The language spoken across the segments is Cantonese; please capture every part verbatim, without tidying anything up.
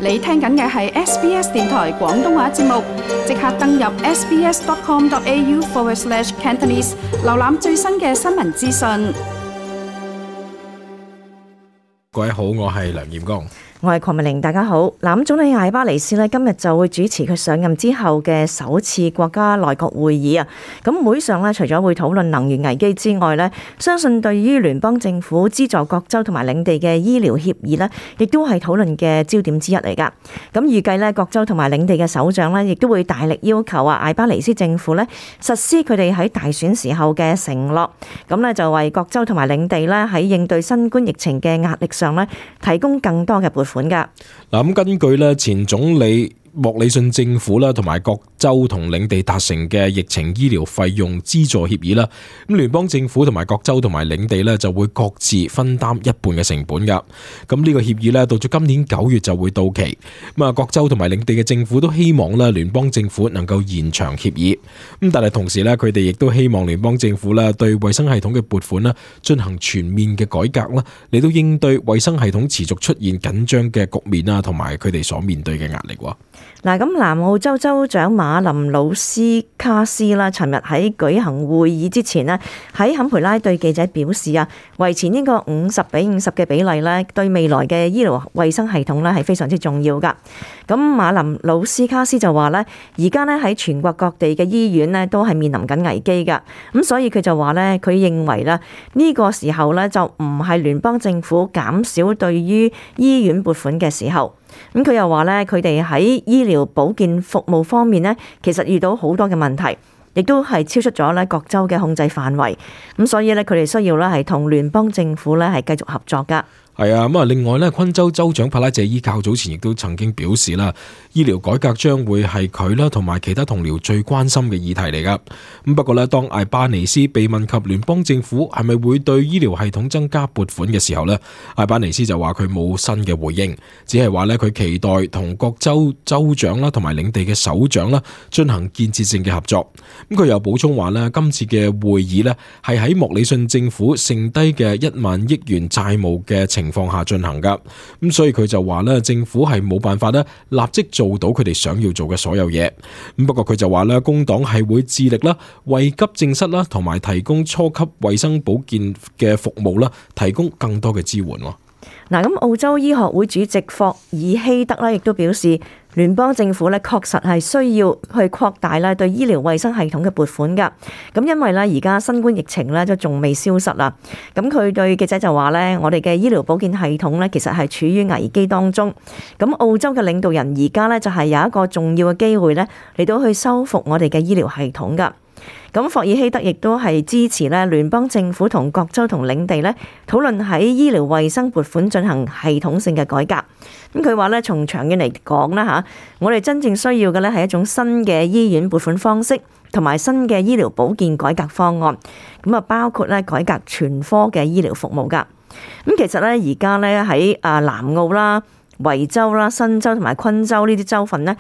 你聽緊嘅係 S B S 電台廣東話節目，即刻登入 sbs.com.au forward slash Cantonese， 瀏覽最新嘅新聞資訊。各位好，我係梁彥剛。我係鄺美玲，大家好。嗱，咁總理艾巴尼斯呢今日就會主持佢上任之後嘅首次國家內閣會議啊。咁會上呢，除咗會討論能源危機之外呢，相信對於聯邦政府資助各州同埋領地嘅醫療協議呢，亦都係討論嘅焦點之一嚟噶。咁預計呢，各州同埋領地嘅首長呢，亦都會大力要求啊艾巴尼斯政府呢實施佢哋喺大選時候嘅承諾。咁呢，就為各州同埋領地呢喺應對新冠疫情嘅壓力上呢，提供更多嘅撥款。嗱，咁根據咧前總理莫里遜政府啦，同埋各州同領地達成嘅疫情醫療費用資助協議啦，咁聯邦政府同埋各州同埋領地咧就會各自分擔一半嘅成本噶。咁呢個協議咧到咗今年九月就會到期。咁啊，各州同埋領地嘅政府都希望咧聯邦政府能夠延長協議。咁但係同時咧，佢哋亦都希望聯邦政府咧對衛生系統嘅撥款咧進行全面嘅改革啦，嚟到應對衛生系統持續出現緊張嘅局面啊，同埋佢哋所面對嘅壓力。嗱，咁南澳洲州長馬林魯斯卡斯啦，尋日喺舉行會議之前呢，喺坎培拉對記者表示啊，維持呢個五十比五十嘅比例呢，對未來嘅醫療衛生系統呢係非常之重要噶。咁馬林魯斯卡斯就話呢，而家呢喺全國各地嘅醫院呢都係面臨緊危機噶，咁所以佢就話呢，佢認為啦，呢個時候呢就唔係聯邦政府減少對於醫院撥款嘅時候。咁佢又話咧，佢哋喺醫療保健服務方面咧，其實遇到好多嘅問題，亦都係超出咗咧各州嘅控制範圍。咁所以咧，佢哋需要咧係同聯邦政府咧係繼續合作噶。係啊，咁啊，另外咧，昆州州長帕拉謝伊較早前亦都曾經表示啦，醫療改革將會係佢啦同埋其他同僚最關心嘅議題嚟噶。咁不過咧，當艾巴尼斯被問及聯邦政府係咪會對醫療系統增加撥款嘅時候咧，艾巴尼斯就話佢冇新嘅回應，只係話咧佢期待同各州州長啦同埋領地嘅首長啦進行建設性嘅合作。咁佢又補充話咧，今次嘅會議咧係喺莫里遜政府剩低嘅一萬億元債務嘅情情況下進行噶，咁所以佢就話咧，政府係冇辦法咧立即做到佢哋想要做嘅所有嘢。咁不過佢就話咧，工黨係會致力啦，為急症室啦同埋提供初級衛生保健嘅服務啦，提供更多嘅支援。嗱，咁澳洲醫學會主席霍爾希德咧，亦都表示，聯邦政府咧確實係需要去擴大咧對醫療衛生系統嘅撥款噶。咁因為咧而家新冠疫情咧都仲未消失啦。咁佢對記者就話咧，我哋嘅醫療保健系統咧其實係處於危機當中。咁澳洲嘅領導人而家咧就係有一個重要嘅機會咧嚟到去修復我哋嘅醫療系統噶。咁霍爾希德亦都係支持咧聯邦政府同各州同領地咧討論喺醫療衛生撥款進行系統性嘅改革。咁佢話咧，從長遠嚟講啦嚇，我哋真正需要嘅咧係一種新嘅醫院撥款方式，同埋新嘅醫療保健改革方案。咁啊，包括咧改革全科嘅醫療服務噶。咁其實咧而家咧喺啊南澳啦、維州啦、新州同埋昆州呢啲州份呢，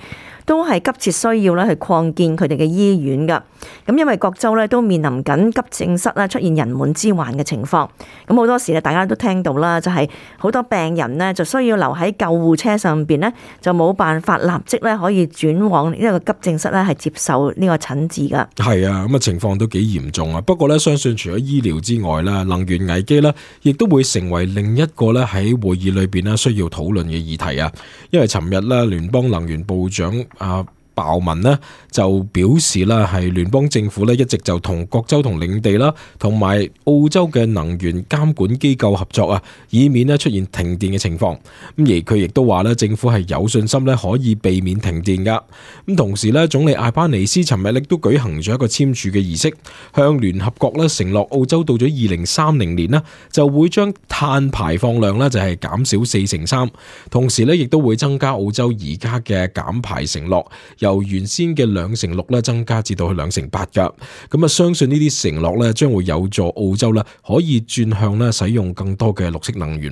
都係急切需要咧去擴建佢哋嘅醫院噶。咁因為各州咧都面臨緊急症室咧出現人滿之患嘅情況。咁好多時咧大家都聽到啦，就係好多病人呢就需要留喺救護車上邊呢，就冇辦法立即咧可以轉往呢個急症室咧係接受呢個診治噶。係啊，咁啊情況都幾嚴重啊。不過咧，相信除咗醫療之外啦，能源危機咧亦都會成為另一個咧喺會議裏邊咧需要討論嘅議題啊。因為尋日咧聯邦能源部長啊鮑文呢就表示啦，係聯邦政府咧一直就同各州同領地啦，同埋澳洲嘅能源監管機構合作啊，以免咧出現停電嘅情況。咁而佢亦都話咧，政府係有信心咧可以避免停電噶。咁同時咧，總理艾巴尼斯尋日亦都舉行咗一個簽署嘅儀式，向聯合國咧承諾澳洲到咗二零三零年呢就會將碳排放量咧就係減少四成三，同時咧亦都會增加澳洲而家嘅減排承諾。由原先嘅兩成六咧增加至到去兩成八噶，咁啊相信呢啲承諾咧將會有助澳洲咧可以轉向咧使用更多嘅綠色能源。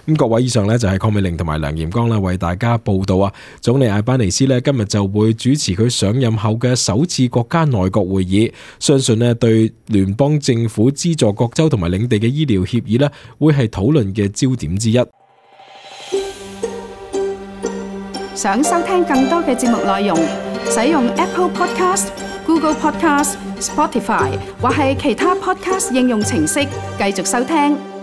咁各位，以上咧就係鄺美玲同埋梁彥剛啦為大家報道啊。總理艾巴尼斯咧今日就會主持佢上任後嘅首次國家內閣會議，相信咧對聯邦政府資助各州同埋領地嘅醫療協議咧會係討論嘅焦點之一。想收聽更多嘅節目內容，使用 Apple Podcast、Google Podcast、Spotify 或係其他 Podcast 應用程式繼續收聽。